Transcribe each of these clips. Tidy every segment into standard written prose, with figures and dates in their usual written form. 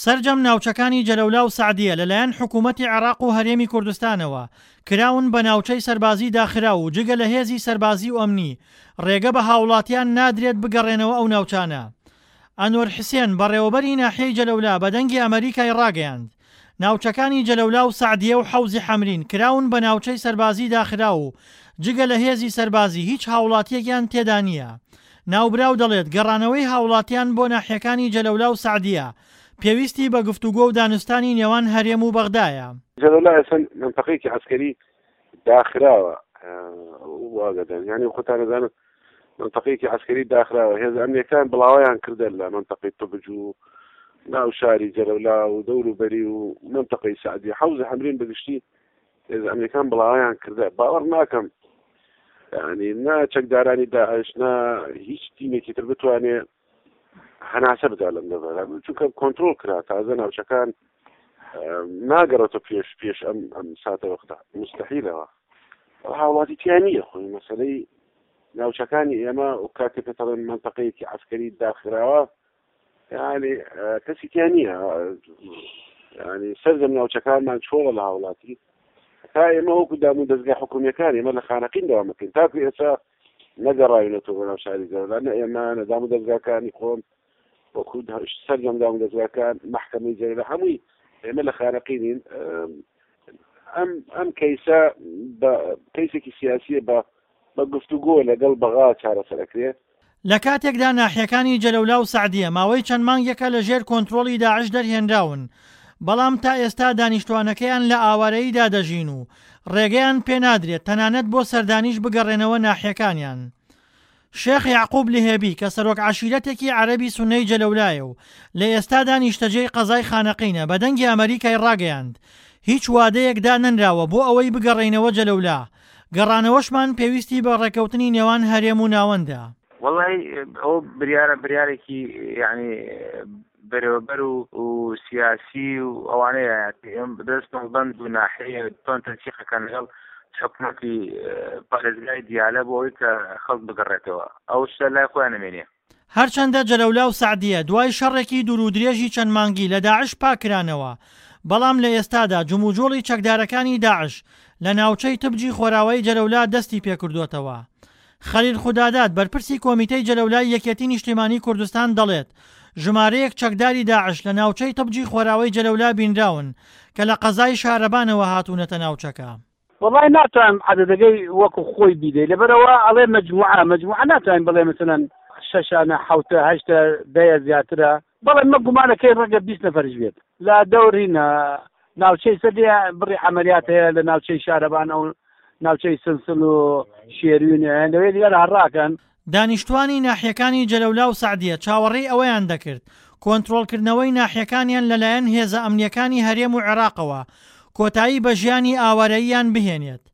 سەرجەم ناوچەکانی جەلەولا و سەعدیە لەلایەن حکوومەتی عێراق و هەرێمی کوردستانەوە کراون بە ناوچەی سەربازی داخراو و جگە لە هێزی سەربازی و ئەمنی ڕێگە بە هاوڵاتیان نادرێت بگەڕێنەوە ئەو ناوچانە. ئەنوەر حسێن، بەڕێوەبەری ناحیەی جەلەولا بە دەنگی ئەمەریکای ڕاگەیاند، ناوچەکانی جەلەولا و سەعدیە و حەوزی حەمرین کراون بە ناوچەی سەربازی داخراو و جگە لە هێزی سەربازی هیچ هاوڵاتییەکیان تێدا نییە. ناوبراو دەڵێت گەڕانەوەی هاوڵاتیان بۆ ناحیەکانی جەلەولا و سەعدیە پێویستی بە گفتوگۆ و دانوستانی نێوان هەرێم و بەغدایە. جەلەولا ئێستا مەنتەقەیەکی عەسکەری داخراوە واگەدەن یعنی خۆتان دەزانن منطقەیەکی عسکەری داخراوە هێز ئەمنیەکان بڵاویان کردە لە منطقەی طبج و ناو شاری جەرەولا و دەور و بەری و منطقەی سعدی حەوز حەمرین بەگشتی هێز ئەمنیەکان بڵاویان کردە باوەڕ ناکەم ینی نا چەکدارانی داعش نا هیچ تیمێکی تر بتوانێ هەناسە بدا لەم دەڤەرە چونکە کۆنتترۆل کرا تازە ناوچەکان ناگەڕێتە پێش پێش ئەم ئەم ساتە وەختە مستحیلەوە هاوڵاتی تیا نییە خۆی مەسلەی ناوچەکانی ئێمە و کاتێک پێ دەڵێن منتەقەیەکی عسکەری داخراوە یعنی کەسی تیا نییە ینی سەرجەم ناوچەکانمان چۆڵە لە هاوڵاتی تا ئێمە وەکو دام و دەستگای حکومیەکان ئێمە لە خانەقین داوامەکەین تاکو ئێستا نەگەڕاوینەتەوە بۆ ناو شاری جەلەولا نە ئێمە نە دام و دەزگاکانی خۆم وەکو سەرجەم دام و دەزگاکان مەحکەمەی جەلەولا هەمووی ئێمە لە خانەقینین ئەم ئەم کەیسە بە کەیسێکی سیاسیە بە بە گفتوگۆ لەگەڵ بەغا چارەسەرەکرێ. لە کاتێکدا ناحیەکانی جەلەولا و سەعدیە ماوەی چەند مانگێکە لە ژێر کۆنترۆڵی داعش دەرهێنراون، بەڵام تا ئێستا دانیشتوانەکەیان لە ئاوارەییدا دەژین و ڕێگەیان پێنادرێت تەنانەت بۆ سەردانیش بگەڕێنەوە ناحیەکانیان. شێخ یەعقوب لهێبی کە سەرۆک عەشیرەتێکی عەرەبی سوننەی جەلەولایە و لە ئێستادا نیشتەجێی قەزای خانەقینە بە دەنگی ئەمەریکای ڕاگەیاند هیچ وادەیەک دانەنراوە بۆ ئەوەی بگەڕێینەوە جەلەولا، گەڕانەوەشمان پێویستی بە ڕێکەوتنی نێوان هەرێم و ناوەندە. وەڵی ئەو بریارە بریارێکی یعنی بەرێوەبەر و و سیاسی و ئەوانەیە دەست مەڵبەند و ناحیە تۆن تەنسیقەکان لەگەڵ حکومەتی پارێزگای دیالە بۆ ئەوەی کە خەڵک بگەڕێتەوە ئەو شتە لای خۆیان نەمێنێ. هەرچەندە جەلەولا و سەعدیە دوای شەڕێکی دوورودرێژی چەند مانگی لە داعش پاککرانەوە، بەڵام لە ئێستادا جموجوڵی چەکدارەکانی داعش لە ناوچەی تبجی خۆراوای جەلەولا دەستی پێکردۆتەوە. خەلیل خوداداد بەرپرسی کۆمیتەی جەلەولای یەکێتی نیشتیمانی کوردستان دەڵێت، ژمارەیەک چەکداری داعش لە ناوچەی تبجی خۆراوەی جەلەولا بینراون کە لە قەزای شارەبانەوە هاتوونەتە ناوچەکە. وەڵای ناتوانم عەدەدەکەی وەکو خۆی بیدەی لەبەرئەوە ئەڵێ مەجموعە مەجموعە ناتوانین بڵێ مەسەلەن شەشانە حەوتە هەشتە دەیە زیاترە بەڵێ مە گومانەکەی ڕەنگە 20 نەفەریش بێت لە دەوری ناوچەی سەدێ بڕی عەمەلیات هەیە لە ناوچەی شارەبان ئەو ناوچەی سنسل و شێروین لەوێ دیارە هەڕاکەن. دانیشتوانی ناحیەکانی جەلەولا و سەعدیە چاوەڕێی ئەوەیان دەکرد کۆنترۆڵکردنەوەی ناحیەکانیان لەلایەن هێزە ئەمنییەکانی هەرێم و عێراقەوە کۆتایی بە ژیانی ئاوارەییان بهێنێت،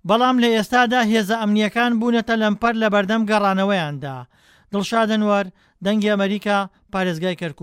بەڵام لە ئێستادا هێزە ئەمنییەکان بوونەتە لەمپەر لەبەردەم گەڕانەوەیاندا. دڵشاد ئەنوەر، دەنگی ئەمەریکا، پارێزگای کەرکوک.